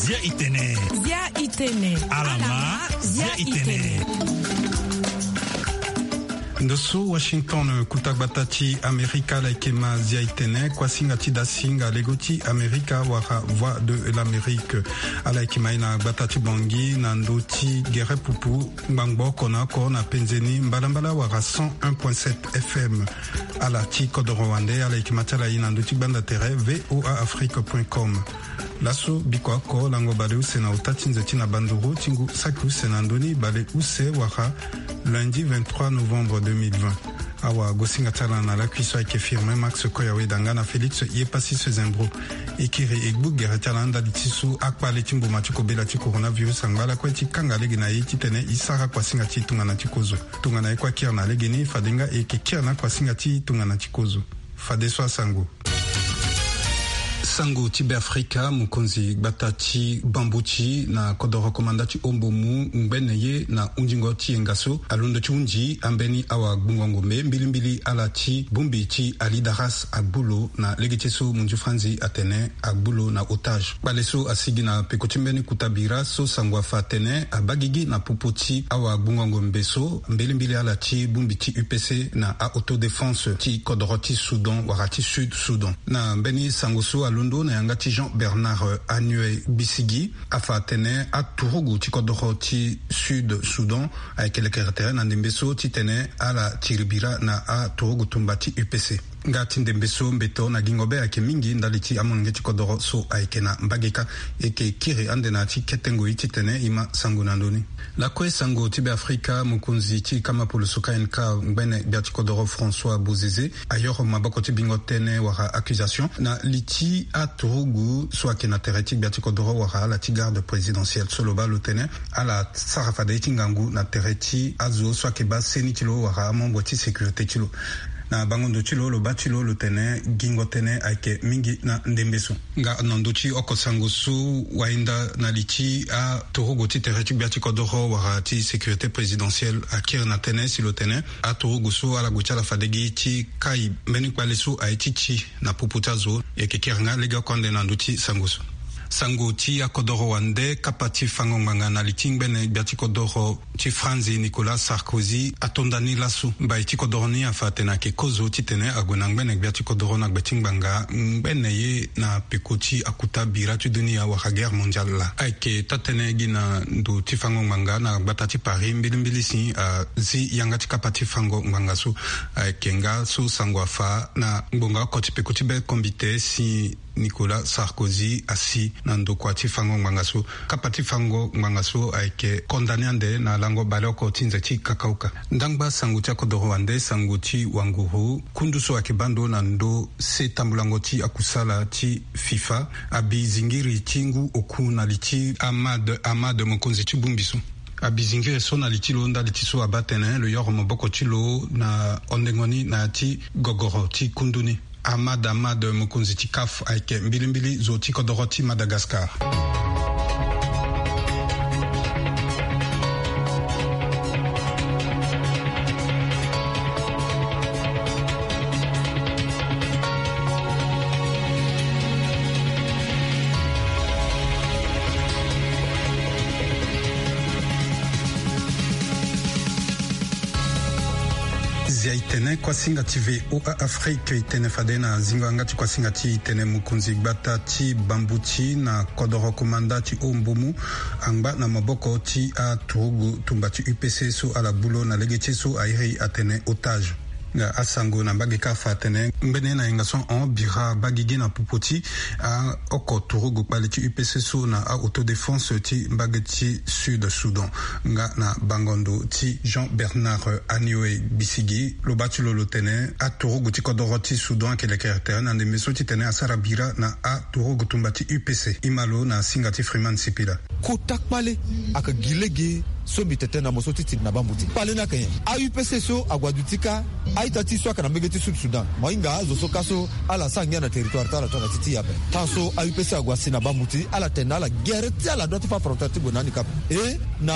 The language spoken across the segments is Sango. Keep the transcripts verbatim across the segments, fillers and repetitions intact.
Zia itene. Zia itene. Alama. Zia itene. Ndo so Washington, kuta gbata ti Amerika, ala yeke ma Zia itene, kuasinga ti dasinga lego ti Amerika wala Voix de l'Amérique. Ala yeke ma ye na gbata ti Bangui na ndo ti gere pupu, ngbangbo oko na oko na penze ni mbalambala wala cent un point sept F M. Ala ti kodoro wande, ala yeke ma ti ala ye na ndo ti gbanda tere V O A Afrique point com. Laso biko oko lango baleuse na ota ti nze ti na banduru ti ngu saki use na ndoni baleuse wala lundi vingt-trois novembre deux mille vingt. Awagosinga ti ala na lakui so ayeke Firmin Max Koyaweda nga na Félix Yepassis Zembro. E kiri e gbu gere ti ala ndali ti so akpale ti mboma ti kobela ti coronavirus angba lakue ti kanga lege na e titene e sara kuasinga ti tongana ti kozo. Tongana e kue akiri na legeni, fade nga e yeke kiri na kuasinga ti tongana ti kozo. Fadeso asango. Sango ti Beafrika, mokonzi gbata ti Bambuti na kodoro komanda ti Ombomu ngbene ye na hundingo ti yenga so alondo ti hundi ambeni awagbungo ngombe mbilimbili ala ti bongbi ti Alidaras agbu lo na lege ti so munzu Franzi atene agbu lo na otage. Kpale so asigi na peko ti mbeni kuta bira so sango afa atene abaa gigi na popo ti awagbungo ngombe so mbilimbili ala ti bongbi ti U P C na a-autodéfense ti kodoro ti Soudan wala ti Sud Soudan. Na mbeni sango so alondo na yanga ti Jean Bernard Anue Bisigi, afa atene aturugu ti kodoro ti Sud Soudan ayeke lekere tere na ndembe so titene ala tiri bira na aturugu tumba ti U P C. Nga ti ndembe so mbeto na gingo be ayeke mingi ndali ti amolenge ti kodoro so ayeke na mbage kâ. E yeke kiri ande na ya ti kete ngoi titene e ma sango na ndö ni. Lakue sango ti Beafrika, mokonzi ti kama poloso K N K ngbene gbia ti kodoro François Bozizé ayoro maboko ti bingo tënë wala accusation na li ti aturugu so ayeke na tere ti gbia ti kodoro wala ala ti garde présidentielle so lo baa lo tene ala sara fade ye ti ngangu na tere ti azo so ayeke baa seni ti lo wala amembre ti sécurité ti lo. Na bango ndo ti lo, lo baa ti lo lo tene gingo tënë ayeke mingi na ndembe so. Nga na ndö ti oko sango so wahinda na li ti aturugu ti tere ti gbia ti kodoro wala ti sécurité présidentielle akiri na tënë si lo tene aturugu so ala gue ti ala fade gi ti kai mbeni kpale so aye ti ti na popo ti azo. E yeke kiri nga legeoko ande na ndö ti sango so. Sango ti akodoro wande, kapa ti fango ngbanga na li ti ngbene gbia ti kodoro ti Franzi Nicolas Sarkozy ato nda ni laso. Mbai ti kodoro ni afa atene ayeke kozo titene ague na ngbene gbia ti kodoro na gbe ti ngbanga ngbene ye na peko ti akuta bira ti dunia wala guerre mondiale laa. Ayeke taa-tënë gi na ndo ti fango ngbanga na gbata ti Paris mbilimbili si azi yanga ti kapa ti fango ngbanga so. Ayeke nga so sango afa na ngbonga oko ti peko ti be kombite si Nicolas Sarkozy asi na ndokua ti fango ngbanga so. Kapa ti fango ngbanga so ayeke condamné ande na lango baleoko ti nze ti kakauka. Ndangba sango ti akodoro wande, sango ti wanguru, kundu so ayeke baa ndo na ndö se tambulango ti akusala ti FIFA abi zingiri ti ngu oku na li ti Ahmad Ahmad, mokonzi ti bongbi so. Abi zingiri so na li ti lo ndali ti so abaa tene lo yoro maboko ti lo na hondengo ni na ya ti gogoro ti kundu ni. Ahmad Ahmad, mokonzi ti CAF, ayeke mbilimbili zo ti kodoro ti Madagascar. Zia itene kuasinga ti V O A Afrique, itene fade na zingo yanga ti kuasinga ti itene, mokonzi gbata ti Bambuti na kodoro komanda ti Ombomu angba na maboko ti aturugu tumba ti U P C so ala gbu lo na lege ti ye so airi atene otage. Nga asango na mbage kâ afa atene ngbene na yenga so ahon bira abaa gigi na popo ti aoko turugu kpale ti U P C so na a-autodéfense ti mbage ti Sud Soudan. Nga na bango ndo ti Jean Bernard Anioe Bisigi, lo baa ti lo lo tene aturugu ti kodoro ti Soudan ayeke lekere tere na ndembe so titene asara bira na aturugu tumba ti U P C. E ma lo na singa ti Freeman Sipila. Kota kpale ayeke gi lege so mbi tene na mo so ti tiri na Bambuti. Kpale ni ayeke nyen? A-U P C so ague aduti kâ a-ita ti e so ayeke na mbage ti Sud Soudan. Mo hinga azo so kâ so ala sara ngia na territoire ti ala tongana ti ti e ape. Tan so a-U P C ague asi na Bambuti, ala tene na ala gere ti ala dua ti fa frontière ti gue na handicap. E Na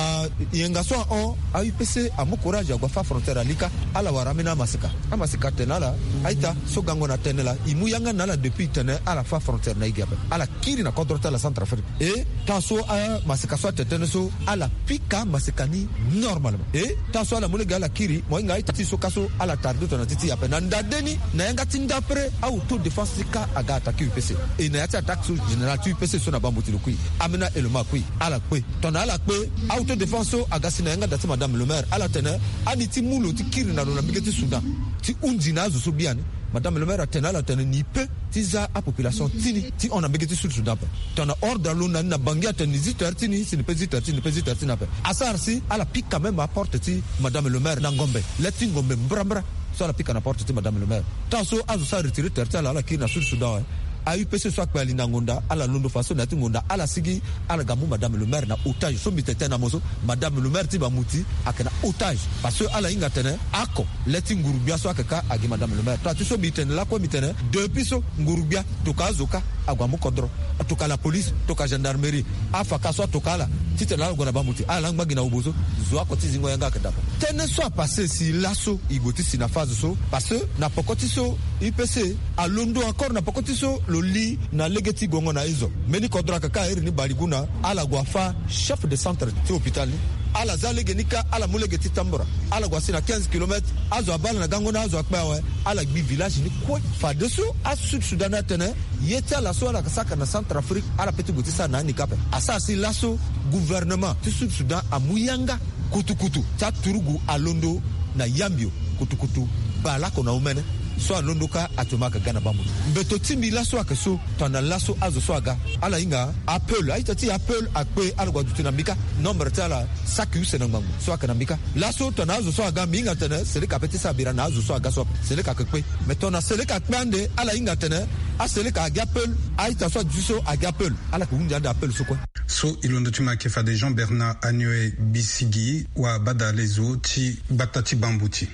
yenga so ahon, a-U P C amu courage, ague afâ frontière ali kâ. Ala wara ambeni amaseka. Amaseka atene na ala: a-ita, so gango na tene laa, e mu yanga na ala depuis tene ala fâ frontière na e gi ape. Ala kiri na kodro ti ala Centrafrique. E taa so amaseka so atene tënë so, ala pika maseka ni normalement. E taa so ala mu lege ala kiri, mo hinga a-ita ti e so kâ so ala tarde tongana ti ti e ape. Na ndade ni, na yanga ti ndapre, a-autodéfense ti kâ aga attaqué U P C. E na ya ti attaque so, général ti U P C so na bambuti lo kui, ambeni a-élément akui, ala kpe. Tongana ala kpe, a-autodéfense so aga si na yanga da ti madame le maire. Ala tene ani ti mu lo ti kiri na lo na mbege ti Soudan ti hunzi na azo so biani. Madame le maire atene na ala tene ni peut ti za apopulation ti ni ti hon na mbege ti Sud Soudan ape. Tongana ordre alo na ni na Bangui atene ni zi terre ti ni, si ni peut zi terre ti ni, ni peut zi terre ti ni ape. Asara si ala pika même aporte ti madame le maire na ngombe, le ti ngombe mbrambra. So ala pika na porte ti madame le maire. Taa so azo so aretire terre ti ala, ala kiri na Sud Soudan awe. A-U P C so akpe ali na ngonda, ala londo fadeso na ya ti ngonda ala sigi, ala ga mu madame le maire na otage. So mbi tene tënë na mo so, madame le maire ti bamuti ayeke na otage. Parce que ala hinga atene oko, le ti nguru-gbia so ayeke kâ agi madame le maire. Taa ti so mbi tene lakue, mbi tene depuis so nguru-gbia tokua azo kâ ague amu kodro. Atokua la police, tokua gendarmerie, afa kâ so atokua ala titene ala gue na bambuti, ala laa ngba gi na obo so, zo oko ti zingo yanga ayeke daa. Tënë so apassé si laso e gue ti si na phase so, parce que na peko ti so U P C alondo encore na peko ti so lo li na lege ti gongo na Ezo. Mbeni kodro ayeke kâ iri ni Baliguna, ala gue afâ chef de centre ti hôpital ni. Ala za lege ni kâ, ala mu lege ti Tambura, ala gue asi na quinze kilomètres. Azo abaa ala na gango ni, azo akpe awe, ala gbi village ni kue. Fadeso aSud Soudan ni atene ye ti ala so ala yeke sara na Centrafrique, ala peut ti gue ti sara na ni kâ ape. Asara si laso gouvernement ti Sud Soudan amu yanga kutukutu ti aturugu alondo na Yambio, kutukutu baleoko na omene. So alondo kâ actuellement ayeke ga na bambuti. Mbeto ti mbi laso ayeke so, tongana laso azo so aga, ala hinga apeul, a-ita ti e apeul akpe, ala gue aduti na mbi kâ. Nombre ti ala saki use na ngbangbo so ayeke na mbi kâ. Laso tongana azo so aga, mbi hinga tene Seleka peut ti sara bira na azo so aga so ape. Seleka ayeke kpe. Mais tongana Seleka akpe ande, ala hinga tene aSeleka agi apeul, a-ita so aduti so agi apeul, ala yeke hunzi ande apeul so kue. So e londo ti ma ayeke fade Jean Bernard Anioe Bisigi, wabadale zo ti gbata ti Bambuti.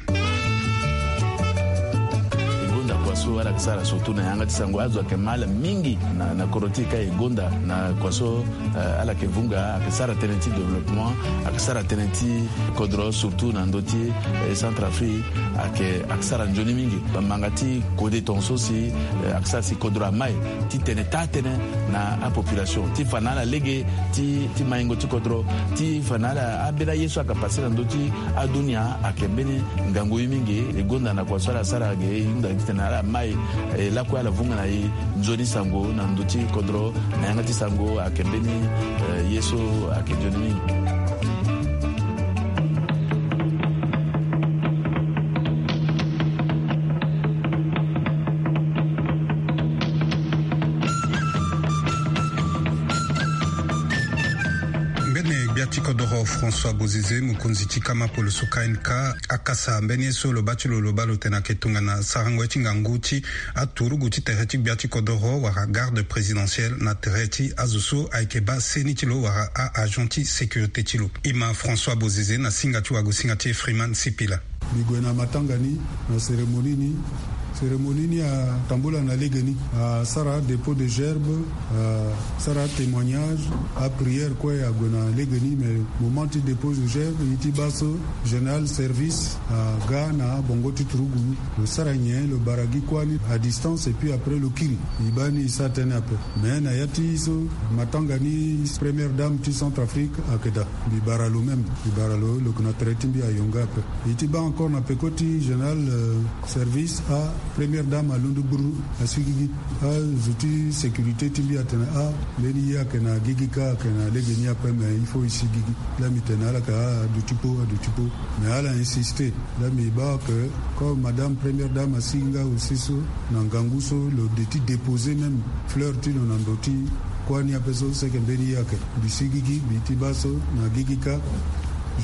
E gonda kua so ala yeke sara surtout na yanga ti sango, azo ayeke mal mingi na, na kodro ti e kâ. E gonda na kua so, eh, ala yeke vunga, ayeke sara tënë ti développement, ayeke sara tënë ti kodro, surtout na ndö ti, eh, Centrafrique, ayeke, ayeke sara nzoni mingi. Bamanga ti kode tongaso si, eh, ayeke sara si kodro amai titene taa tënë na apopulation, ti fa na ala lege ti, ti maingo ti kodro, ti fa na ala ambeni aye so ayeke passé na ndö ti adunia, ayeke mbeni ngangu ye mingi. E gonda na kua so ala sara ge, e hunda titene ala mai, eh, lakue ala vunga na e nzoni sango na ndö ti kodro, na yanga ti sango ayeke mbeni, eh, ye so ayeke nzoni mingi. Mbeni gbia ti kodoro François Bozizé, mokonzi ti kama poloso K N K, akasa mbeni ye so lo baa ti lo, lo baa lo tene ayeke tongana sarango ye ti ngangu ti aturugu ti tere ti gbia ti kodoro wala garde présidentielle na tere ti azo so ayeke baa seni ti lo wala a-agent ti sécurité ti lo. E ma François Bozizé na singa ti wagosinga ti e Freeman Sipila. Mbi gue na matanga ni, na cérémonie ni. Cérémonie ni atambula na lege ni. Asara dépôt de gerbe, asara témoignage, aprière kue ague na lege ni, mais moment ti dépôt de gerbe, e ti baa so général service aga na bongo ti turugu, lo sara nyen, lo bara gi kuâ ni à distance, et puis après lo kiri. E baa ni e sara tënë ape. Mais na ya ti so matanga ni, première dame ti Centrafrique ayeke daa. Mbi bara lo même, mbi bara lo, lo yeke na tere ti mbi ayonga ape. E ti baa encore na peko ti général, euh, service, a première dame alondo gburu, asi gigi. Azo ti sécurité ti mbi atene, ah, mbeni ye ayeke na gigi kâ, ayeke na lege ni ape, mais il faut e si gigi. Laa mbi tene na ala ke, ah, aduti kpo, aduti kpo. Mais ala insisté. Laa mbi baa ke comme madame première dame asi nga aussi so, na ngangu so, lo de ti déposer même fleur ti lo na ndo ti kuâ ni ape so, seke mbeni ye ayeke. Mbi si gigi, mbi ti baa so na gigi kâ,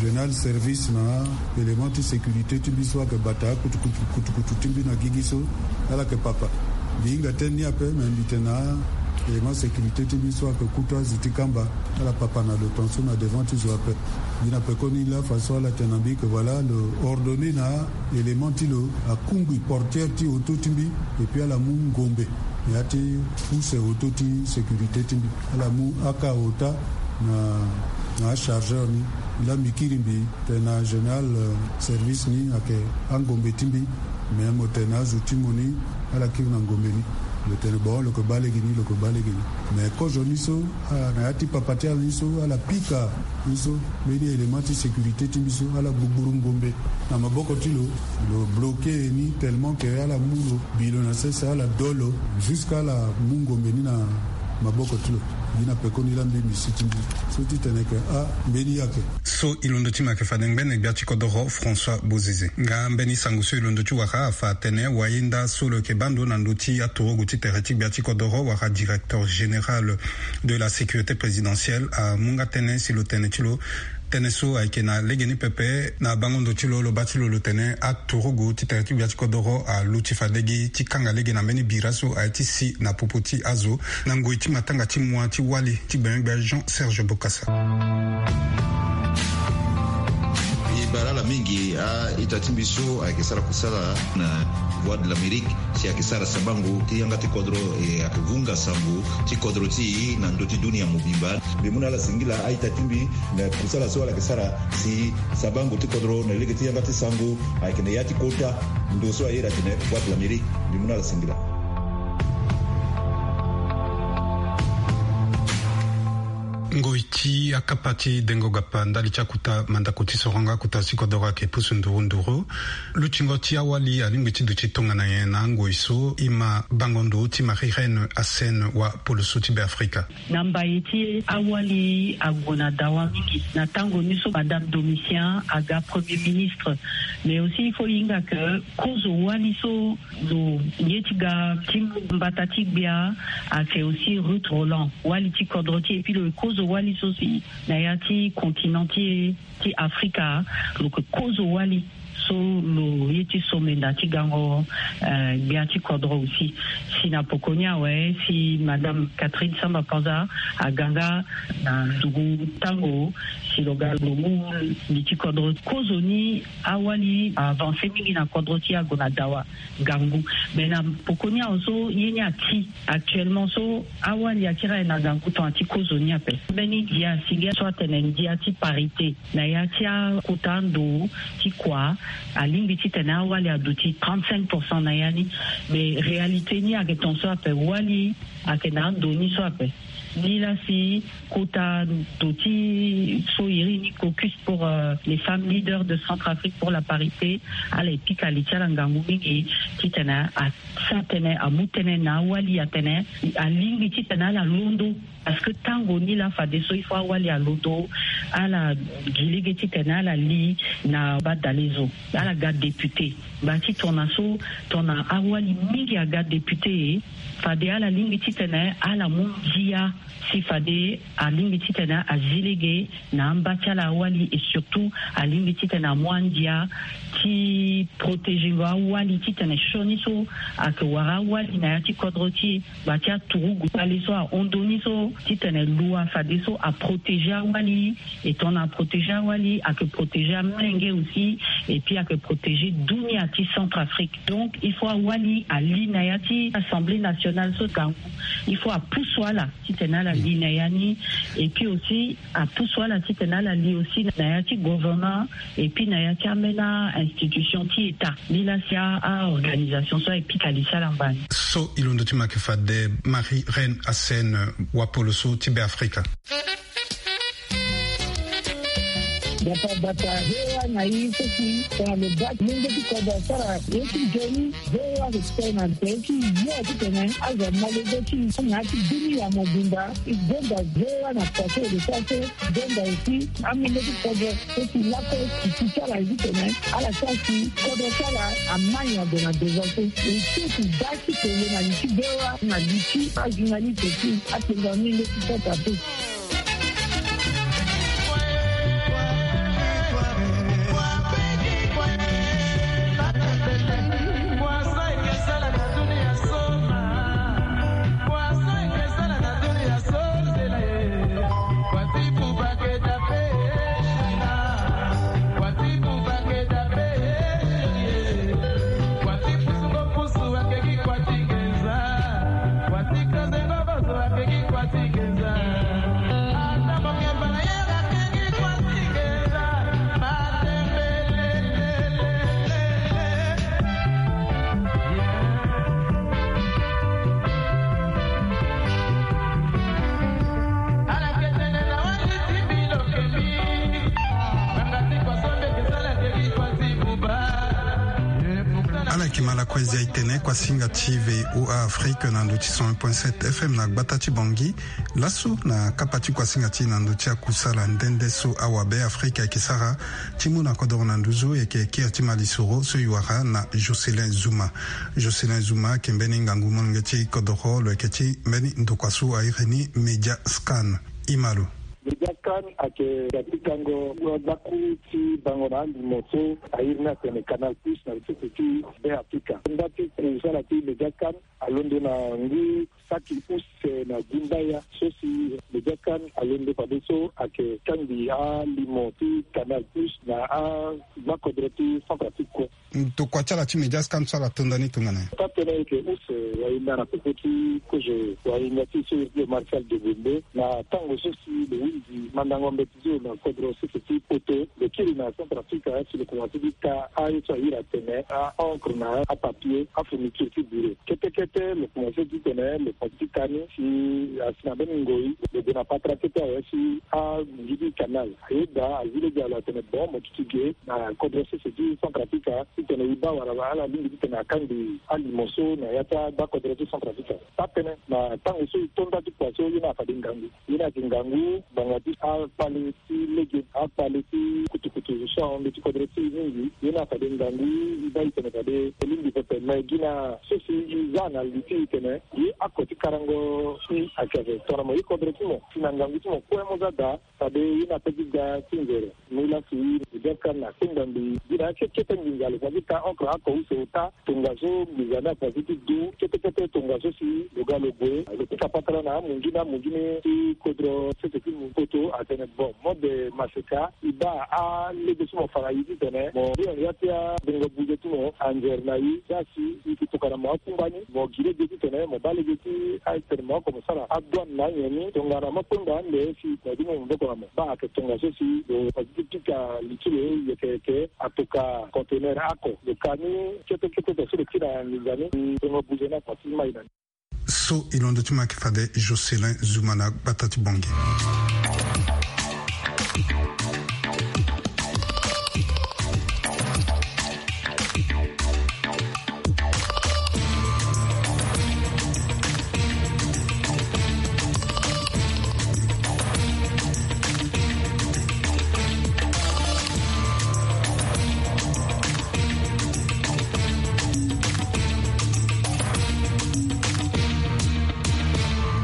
général service na élément ti sécurité ti mbi so ayeke bata akutukutu, kutukutu ti mbi na gigi so, ala yeke papa. Mbi hinga tënë ni ape, mais mbi tene na élément sécurité ti mbi so ayeke kutu azo ti kamba, ala papa na lo tongaso na devant ti zo ape. Mbi na pekoni laa fadeso ala tene na mbi ke voilà, lo ordonné na élément ti lo akungbi portière ti auto ti mbi, et puis ala mu ngombe na ya ti pousse auto ti sécurité ti mbi. Ala mu aka ota na Na achargeur ni, la mbi kiri mbi tene na général, euh, service ni ayeke angombe ti mbi. Mais mo tene na azo ti mo ni, ala kiri na ngombe ni. Lo tene bon, lo yeke baa lege ni, lo yeke baa lege ni. Mais kozo ni so, ah, na ya ti papa ti ala ni so, ala pika ni so, mbeni élément ti sécurité ti mbi so, ala gbugburu ngombe na maboko ti lo. Lo bloqué ni tellement que ala mu lo, bi lo na sese, ala do lo, jusqu'à ala mu ngombe ni na maboko ti lo. Gi na pekoni la mbi mbi si ti mbi so ti tene ke, ah, mbeni yake. So e londo ti ma yeke fade ngbene gbia ti kodoro François Bozizé. Nga mbeni sango so e londo ti wara afa atene wayenda so lo yeke baa ndo na ndö ti aturugu ti tere ti gbia ti kodoro wala directeur général de la sécurité présidentielle amu nga tënë si lo tene ti lo. Tënë so ayeke na legeni pepe na bango ndo ti lo, lo baa ti lo lo tene aturugu ti tere ti gbia ti kodoro aluti fade gi ti kanga lege na mbeni bira so aye ti si na popo ti azo. Na ngoi ti matanga ti mua ti wali ti gbenyogbia Jean Serge Bokassa. E baa ala mingi a-ita ti mbi so ayeke sara kusala na Voix de l'Amérique, si ayeke sara sabango ti yanga ti kodro, e ayeke vunga sango ti kodro ti e na ndö ti dunia mobimba. Mbi mu na ala singila a-ita ti mbi na kusala so ala yeke sara si sabango ti kodro na lege ti yanga ti sango ayeke na ya ti kota ndo so aye iri atene Voix de l'Amérique. Mbi mu na ala singila. Ngoi ti akapa ti dengo gapa ndali ti akuta mandako ti soronga akuta ti kodoro ayeke pusu nduru nduru. Lutingo ti awali alingbi ti duti tongana nyen na angoi so? E ma bango ndo ti Marie Reine Assène wa poloso ti Beafrika. Na mbaye ti e awali ague na dawa mingi na tango ni so Madame Domitien aga Premier Ministre. Mais aussi il faut e hinga que kozo wali so lo ye ti ga ti mbata ti gbia ayeke aussi Ruth Roland, wali ti kodro ti e, et puis lo ye kozo wali so si na ya ti continent ti e ti Afrika, lo yeke kozo wali so lo ye ti somenda ti gango, eh, gbia ti kodro aussi. Si na poko ni awe, si Madame Catherine Samba Panza aga nga na ndugu tango, si lo ga lo mu li ti kodro, kozoni awali avance mingi na kodro ti e ague na dawa ngangu. Mais na poko ni awe so ye ni ati actuellement so awali akiri aye na ngangu tongana ti kozoni ape. Mbeni ndia si ge so atene ndia ti parité na ya ti akota ndo ti kua, alingbi titene awali aduti trente-cinq pour cent na ya ni. Mais réalité ni ayeke ton so ape, wali ayeke na ando ni so ape. Ni la si kota ndo ti so iri ni caucus pour, euh, les femmes leaders de Centrafrique pour la parité, ala e pika li ti ala ngangu mingi titene a sa tënë, amu tënë na awali atene alingbi titene ala londo. Parce que tango ni la fadeso il faut awali alondo, ala gi lege titene ala li na badalezo, ala ga député. Ngba ti tongana so, tongana awali mingi aga député, fade ala lingbi titene ala mu ndia si fade alingbi titene azi lege na amba ti ala awali, et surtout alingbi titene amu andia ti protéger ngo awali titene sioni so ayeke wara awali na ya ti kodro ti e, ngba ti aturugu kpale so ahon ndo ni so titene lo afadeso aprotéger awali. Et tongana aprotéger awali ayeke protéger amolenge aussi, et puis ayeke protéger dunia ti Centrafrique. Donc il faut awali ali na ya ti Assemblée nationale so ngangu, il faut apusu ala titene ala li na ya ni. Et puis aussi apusu ala titene ala li aussi na ya ti gouvernement, et puis na ya ti ambeni a-institution ti État. Ni la si a-organisation so aye pika li ti ala ngbani. So e londo ti ma yeke fade Marie Reine Assène, wapolo so ti Beafrika. Bata bata, V O A na i so si tongana lo baa ti mungo ti kodro asara ye ti nzoni. V O A respect na tere ti yo titene azo amolenge ti na ya ti dunia mobimba. E gonda V O A na kua so e lo sara so, gonda aussi amolenge ti kodro so si lakue ti ti ti ala ye titene ala sara si kodro ti ala amai ague na devant so. E so si baa ti tene na li ti V O A na li ti ajournaliste ti atengo amolenge ti Centrafrique. Ala yeke ma lakue zia e tene kuasinga ti V O A Afrique na ndo ti cent un point sept F M na gbata ti Bangui. Laso na kapa ti kuasinga ti e na ndo ti akusala nde nde so awabe Afrika ayeke sara ti mu na kodoro na nduzu, e yeke kiri ti malisoro so e wara na Jocelyn Zuma. Jocelyn Zuma ayeke mbeni ngangu molenge ti kodoro, lo yeke ti mbeni ndokua so a iri ni Media Scan. E ma lo. Media Scan ayeke ga ti kango gbakuru ti bango na alimo so a iri ni atene Canal Plus na sese ti Be Afrika. Nda ti kusala ti Media Scan alondo na ngu saki use na gumbaya so si Media Scan alondo fadeso ayeke kangbi alimo ti Canal Plus na agbakodro ti Centrafrique kue. Tokua ti ala ti Media Scan so ala to ndani tongana nyen? Taa-tënë ayeke use wahinda na popo ti kozo wahinda ti so iri ti lo Martial Degonde na tango so si lo hunzi mandango mbeti zo na kodro sese ti poto, lo kiri na Centrafrique si lo komanse ti ka aye so a iri atene a-encre na apapier, afourniture ti bureau. Kete kete lo komanse ti tene lo komanse ti ka ni si asi na mbeni ngoi lo gue na patara kete awe si amungi ti canal. Ayeda azi lege alo atene bon mo duti ge na kodro sese ti Centrafrica titene e baa wala ala lingbi titene akangbi alimo so na ya ti agbakodro ti Centrafrica. Taa-tënë na tango so e to nda ti kua so ye ni afade ngangu. Ye ni ayeke ngangu ngbanga ti akpale ti lege, akpale ti kutukutu so ahon ndö ti kodro ti e mingi. Ye ni afade ngangu e baa e tene fade e lingbi pepe me gi na so si e za na li ti e tene ye ako ti karango si ayeke tongana mo ye kodro ti mo si na ngangu ti mo kue mo za daa. Fade ye ni ape ti ga ti nzere. Mu lasi Media Scan akpengba mbi gi na akekete nginza lo fa ti ka encre oko use ota tongaso nginza ni akua ti du kete kete tongaso si lo ga lo gue lo pika patara na amungi ni amungi ni ti kodro sese ti poto atene bon mode maseka e baa alege so mo fa na e titene mo ri na ya ti abongo buze ti mo anzere na e. Za si e yeke tokua na mo akungba ni mo gi lege titene mo baa lege ti atene mo oko mo sara adouane na anyen ni tongana mo kpengba ande si mo ye ti mu maboko na mo. Baa ayeke tongaso si lo fa ti pika li ti lo yeke yeke atoka conteneur oko lo ka ni kete kete tongaso lo ti na nginza ni. Tongo buze ni akua ti mai na ni. So e londo ti mo ayeke fade Jocelyn Zuma na gbata ti Bangui.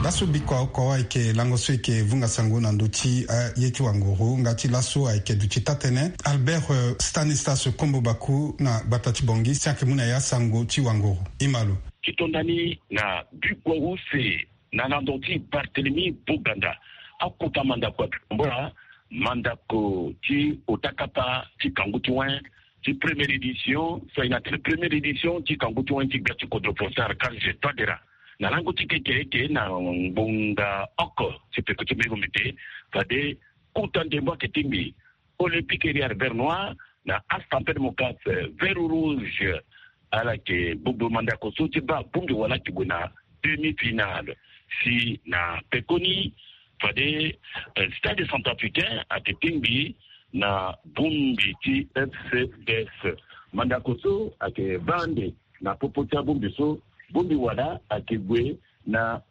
Laso bikua oko ayeke lango so e yeke vunga sango na ndö ti aye ti wanguru nga ti laso ayeke duti taa-tënë Albert, eh, Stanislas Kombo Baku na gbata ti Bangui si ayeke mu na ya sango ti wanguru. E ma lo. Ti to ndani na bikua use na lando ti Barthélemy Boganda, akota mandako ayeke tambula mandako ti ota kapa ti kangu ti wen ti première édition so ayeke na tene première édition ti kangu ti wen ti gbia ti kodro Faustin Archange Touadéra. Na lango ti kekereke na ngbonga oko ti peko ti mbege mbi te fade kota ndembo ayeke tingbi Olympique Ériard Vert Noir na Assampé Démocrate Vert Rouge. Ala yeke gbogbo mandako so ti baa bongbi wala ayeke gue na demi-finale. Si na pekoni fade, eh, Stade Centrafricain ayeke tingbi na bongbi ti F C D S. Mandako so ayeke baa ande na popo ti abongbi so, bongbi wala ayeke gue na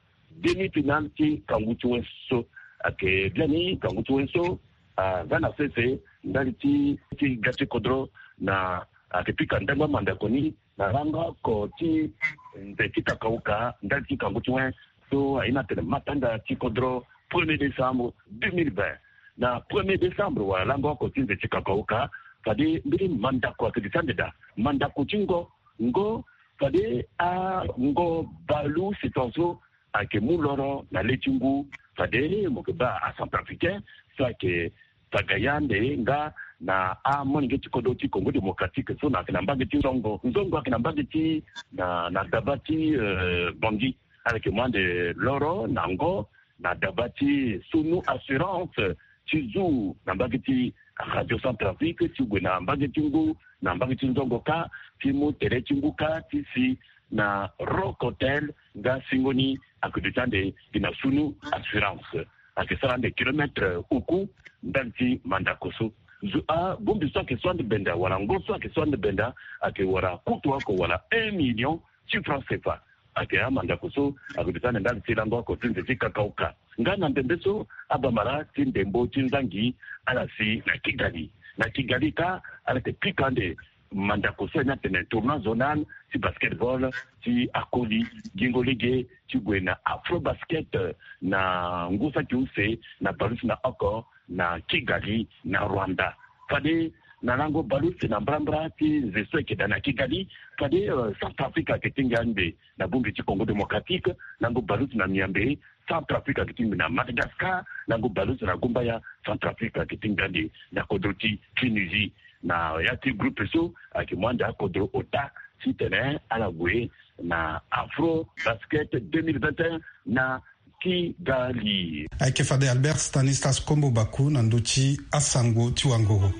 demi-finale ti kangu ti wen so. Ayeke biani kangu ti wen so aza na sese ndali ti, ti ga ti kodro na ayeke pika ndangba mandako ni na lango oko ti nze ti kakauka ndali ti kangu ti wen so aye ni atene matanga ti kodro premier décembre deux mille vingt. Na premier décembre wala lango oko ti nze ti kakauka fade mbeni mandako ayeke duti ande daa. Mandako ti ngo, ngo fade ango baleusito so ayeke mu loro na le ti ngu. Fade mo yeke baa acentrafricain so ayeke taga ye ande nga na amolenge ti kodro ti Congo Démocratique so na ayeke na mbage ti Zongo. Zongo ayeke na mbage ti na, na daba ti, eh, Bangui. Ala yeke mu ande loro na ngo na daba ti Sunu Assurance ti zu na mbage ti Radio Centrafrique ti gue na mbage ti ngu na mbage ti Zongo kâ ti mu tere ti ngu kâ ti si na Rock Hotel nga singo ni ayeke duti ande gi na Sunu Assurance. Ayeke sara ande kilomètre oku ndali ti mandako so. Zo abongbi so ayeke so ande benda wala ngo so ayeke so ande benda ayeke wara kutu oko wala un million ti franc cfa. Ayeke amandako so ayeke duti ande ndali ti lango oko ti nze ti kakaoka. Nga na ndembe so abamara ti ndembo ti nzangi ala si na Kigali. Na Kigali kâ ala yeke pika ande mandako so ayeke ni atene tournoi zonal ti basketball ti akoli gingo lege ti gue na Afrobasket na ngu saki use na bale ti na oko na Kigali na Rwanda. Fade na lango bale use na mbrambra ti nze so ayeke daa na Kigali, fade Centrafrique ayeke ti ngia ande na bongbi ti Congo Démocratique, lango bale use na miambe Centrafrique ayeke ti ngia ande na Madagascar, lango bale use na gumbaya Centrafrique ayeke ti ngia ande na kodro ti Tunisie. Na ya ti groupe so ayeke mu ande akodro ota titene ala gue na Afrobasket deux mille vingt et un na Kigali. Ayeke fade Albert Stanislas Kombo Baku na ndö ti asango ti wangoro.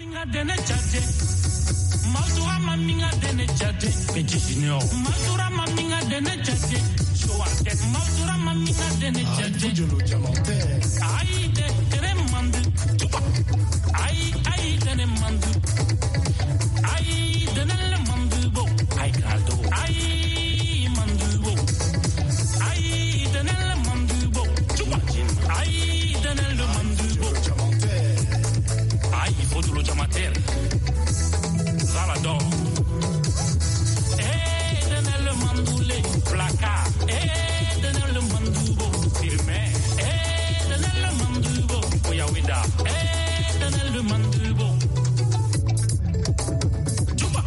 Aïe, il faut de l'eau diamantaire. Zalador. Éternel Mandoulé, placard. Éternel Mandoubo, firme. Éternel Mandoubo, Oyaweda. Éternel Mandoubo. Juba.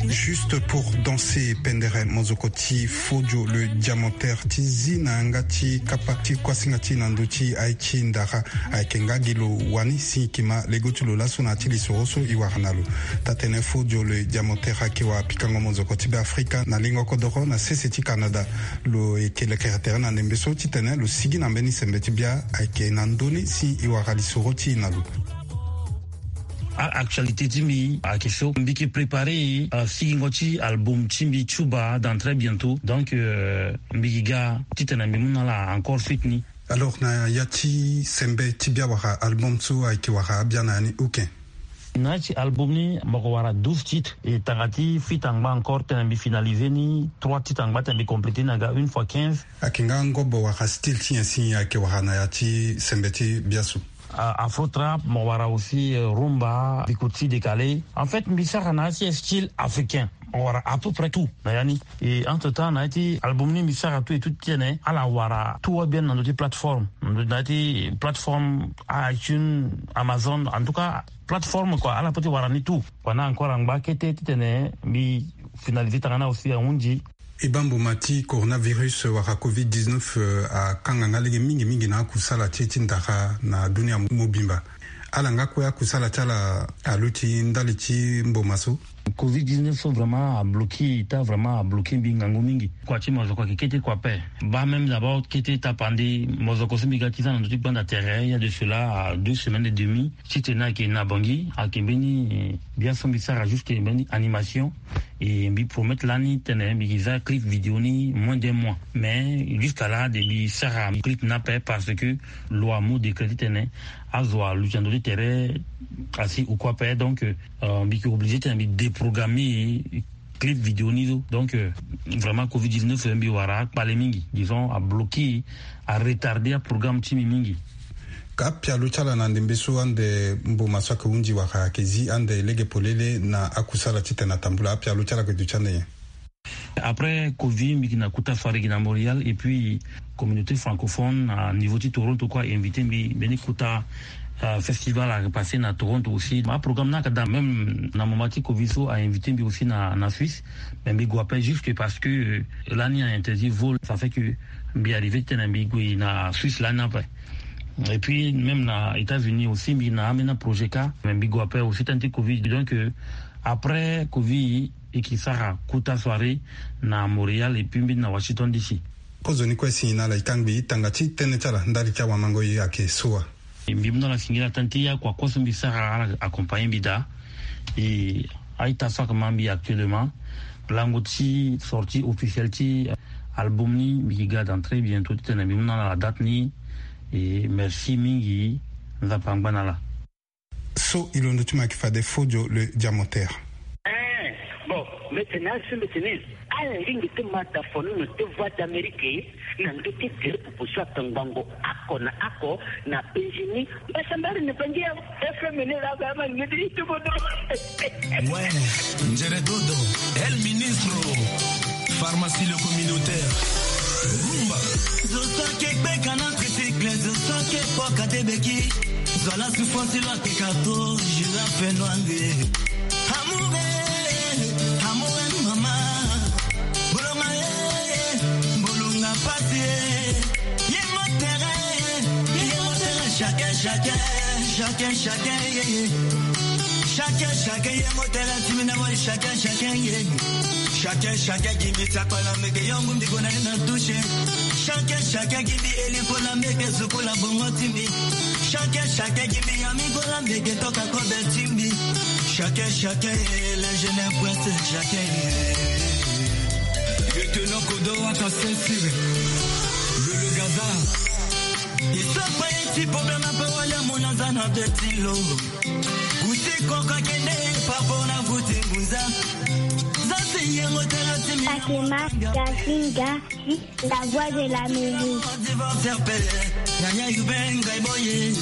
Juste pour danser, pendere mozoko ti Fodio le Diamantaire ti zi na yanga ti kapa ti kuasinga ti na ndö ti aye ti ndara. Ayeke nga gi lo wani si e yeke ma lego ti lo laso na ya ti lisoro so e wara na lo. Taa-tënë Fodio le Diamantaire ayeke wara pikango mozoko ti Beafrika na lingo kodoro na sese ti Canada. Lo yeke lekere tere na ndembe so titene lo sigi na mbeni sembe ti bia ayeke na ndö ni si e wara lisoro ti e na lo. A-actualité ti mbi ayeke so mbi yeke préparer, euh, sigingo ti album ti mbi Chuba dans très bientôt. Donc, euh, mbi yeke ga titene mbi mu na ala encore suite ni. Alors, na ya ti sembe ti bia wala album so ayeke wara abia na ya ni, ok. Na ya ti album ni mbi yeke wara douze titres. E tanga ti feat angba encore titene mbi finaliser ni trois titres angba titene mbi compléter ni aga une fois quinze. Ayeke nga ngobo wala style ti nyen si ayeke wara na ya ti sembe ti bia so? Ah, afro trap, mo wara aussi, euh, rumba, bikuti décalé. En fait, mbi sara na ya ti style africain. Mo wara à peu près tout na ya ni. Et entre temps, na ya ti album ni mbi sara tout et tout titene ala wara tout wa bien na ndö ti plateforme. Na ndö ti plateforme, iTunes, Amazon, en tout cas, plateforme quoi, ala peut ti wara ni tout. Pendant encore angba kete titene mbi finaliser tanga ni aussi ahunzi. E baa mboma ti coronavirus wala covid dix-neuf, euh, akanga nga lege mingi mingi na akusala ti e ti ndara na dunia mobimba. Ala nga kue akusala ti ala aluti ndali ti mboma so? Covid dix-neuf so vraiment abloki ita, vraiment abloki mbi ngangu mingi. Kua ti mozoko ayeke kete kua ape. Baa même d'abord kete tapande mozoko so mbi ga ti za na ndö ti gbanda tere, il y a de cela, euh, deux semaines et demie. Titene ayeke na Bangui, ayeke mbeni, eh, bia so mbi sara juste mbeni animation. Et mbi promettre lani titene mbi yeke za clip vidéo ni moins d'un mois. Mais jusqu'à là de mbi sara clip ni ape parce que lo amu décret titene azo aluti na ndö ti tere asi ou quoi ape. Donc, euh, mbi yeke obligé titene mbi déprogrammer clip vidéo ni so. Donc, euh, vraiment covid dix-neuf mbi wara akpale mingi, disons abloki, aretarder aprogramme ti mbi mingi. Ka apialo ti ala na ndembe so ande mboma so ayeke hunzi wala ayeke zi ande lege polele na akusala titene atambula, apialo ti ala ayeke duti ande nyen? Après covid mbi yeke na kota soirée gi na Montréal et puis communauté francophone na niveau ti Toronto kue a invité mbi mbeni kota, euh, festival ayeke passé na Toronto aussi. Aprogramme ni ayeke daa même na moment ti covid so a invité mbi aussi na, na Suisse. Mais mbi gue ape juste parce que, euh, lani a interdit vol, ça fait que mbi arrivé titene mbi gue na Suisse lani ape. Et puis même na États-Unis aussi mbi na ambeni aprojet kâ, mais mbi gue ape aussi tënë ti covid. Donc, euh, après covid e yeke sara kota soirée na Montréal et puis mbeni na Washington D C. Kozoni kue si na ala e kangbi tanga ti tënë ti ala ndali ti awamango e ayeke so wa? Mbi mu na ala singila tënë ti akua kue so mbi sara ala accompagner mbi daa. E a-ita so ayeke ma mbi actuellement, lango ti sortie officielle ti album ni mbi yeke ga dans très bientôt titene mbi mu na ala date ni. E merci mingi. Nzapa angba na ala. So e londo ti mo ayeke fade fodio le diamotere. Eh, bon, mbeti na asi mbeti ni. Ala lingbi ti ma da fonono ti Voix d'Amérique na ndö ti gere pupu so atongbango oko na oko na penzi ni. Mbasambari ni bangi ya F M ni la ba ma ni di tubodo. Ouais, Njere Dodo, El Ministro, pharmacie le communautaire, Rumba. Zo so ayeke gbeka na tricycle, zo so ayeke kpoka te beki. Zo ala souffrance lo ayeke kato, girafe noire. Amour, eh, amour, eh, mama. Bolonga, eh, bolonga pasi, eh. Ye motere, ye motere, chacun, chacun, chacun, chacun, yeah, yeah. Chacun, chacun, ye motere, ti mi na moi, chacun, chacun, yeah. Chacun, chacun, gi mbi ti akpala meke yongu mbi kona ye na touche. Chacun, chacun, gi mbi eli kola meke zuku la bongo ti mbi. Chacun, chacun, gi mbi ya mi kola meke toka kobe ti mbi. Chacun, chacun, eh, l'ingénieur prince, chacun, eh. Lieutenant Kodo, ata sensire. Le, le Gaza. Iso pa ye ti problème apa wale amona za na de ti lo. Kuti koko kende papa na kuti ngunza. Za si ye motere ti mi. Fatima Gasinga, la voix de l'Amérique. Divorce pe. Yaya yubenga iboye.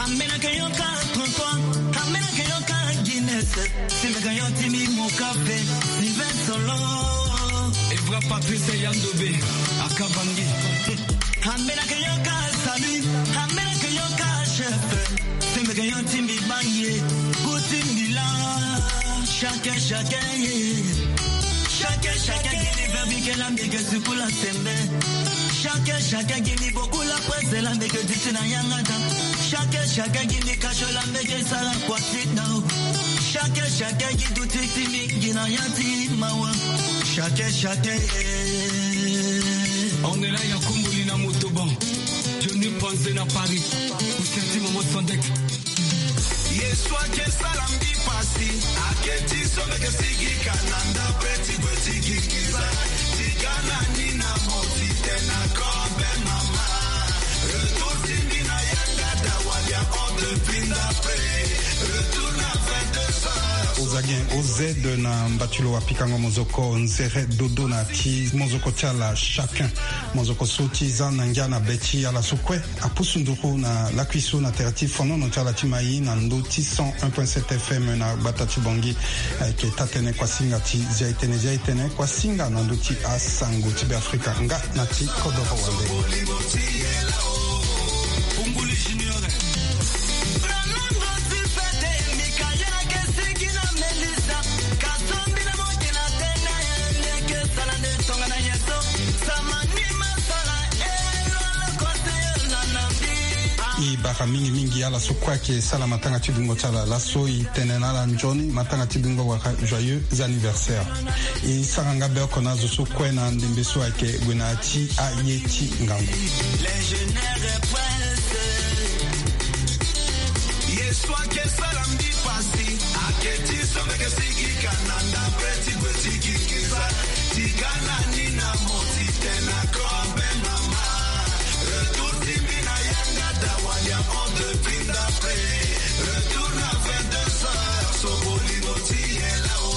Amena ke yoka trente-trois. Amena ke yoka Guinness. Simeka yo ti mi moka pe. Sylvain Solo. Evra Patrice Yandobe. Akabangi. Ambela ke yoka salut, ambela ke yoka chef. Sembe ke yo ti mbi bangi, ku ti mbi la. Chacun, chacun, yeah. Chacun, chacun, gi mbi verbi ke la mbi ke suku la sembe. Chacun, chacun, gi mbi boku la presse la mbi ke duti na yanga da. Chacun, chacun, gi mbi kacho la mbi ke sara kwa ti da. Chacun, chacun, gi duti ti mbi, gi na ya ti mawa. Chacun, chacun, yeah. On est là, ya Kumbuli na Motoban. Johnny Panze na Paris. Ou senti Momo Sandek. Ye so ayeke sala mbi pasi, ayeke ti so mbi yeke sigi ka na ndapre ti gue ti gi nginza. Ti ga na ni na mo ti tene na kobe mama. Retour ti mbi na yanga da wali ahon depuis ndapre. Retour na vingt-deux heures. Ozagen O Z na mbatulu wa pikango mozoko nzere dodo na ti mozoko ti ala chacun. Mozoko so ti za na ngia na be ti ala so kue apusu nduru na lakui so na tere ti fonono ti ala ti mai na ndö ti cent un point sept F M na gbata ti Bangui. Ayeke taa-tënë kuasinga ti Zia-e-tene, Zia-e-tene kuasinga na ndö ti asango ti Beafrika nga na ti kodoro wande. E bara mingi mingi ala so kue ayeke sara matanga ti bingo ti ala laso, e tene na ala nzoni matanga ti bingo wala joyeux anniversaire. E sara nga be oko na azo so kue na ndembe so ayeke gue na ya ti aye ti ngangu. Ye so ayeke sara mbi pasi, ayeke ti so mbi yeke sigi ka na ndapre ti gue ti gi nginza. Ti ga na ni na mo ti tene na kobe mama. Retour ti mbi na yanga da wali ahon depuis ndapre. Retour na vingt-deux heures, so bolingo ti ye lao.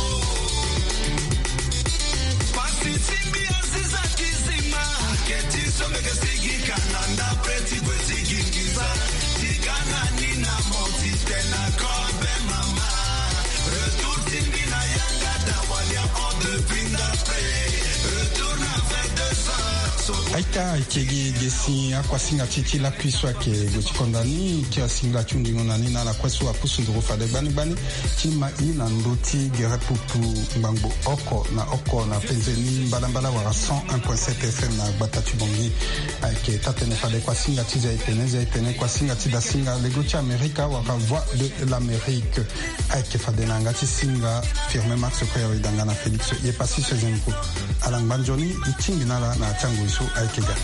Pasi ti mbi aziza kizima. Ayeke ti so mbi yeke sigi ka na ndapre ti gue ti gi nginza. Ti ga na ni na mo ti tene na kobe mama. Retour ti mbi na yanga da wali ahon depuis ndapre. Retour na vingt-deux heures. So Aita, ayeke gi ge si akuasinga ti ti lakui so ayeke gue ti konda ni, ti asingila ti hundingo na ni na ala kue so apusu nduru fade gbani gbani ti ma i na ndö ti gere pupu ngbangbo oko na oko na penze ni mbalambala wala cent un point sept F M na gbata ti Bangui. Ayeke taa-tënë fade kuasinga ti Zia-e-tene, Zia-e-tene kuasinga ti dasinga lego ti Amerika wala Voix de l'Amérique. Ayeke fade na yanga ti singa Firmin Max Koyori Danga na Félix Yepassi Sezempo. Ala ngba nzoni, e tingbi na ala na ya ti angoi so ayeke ga.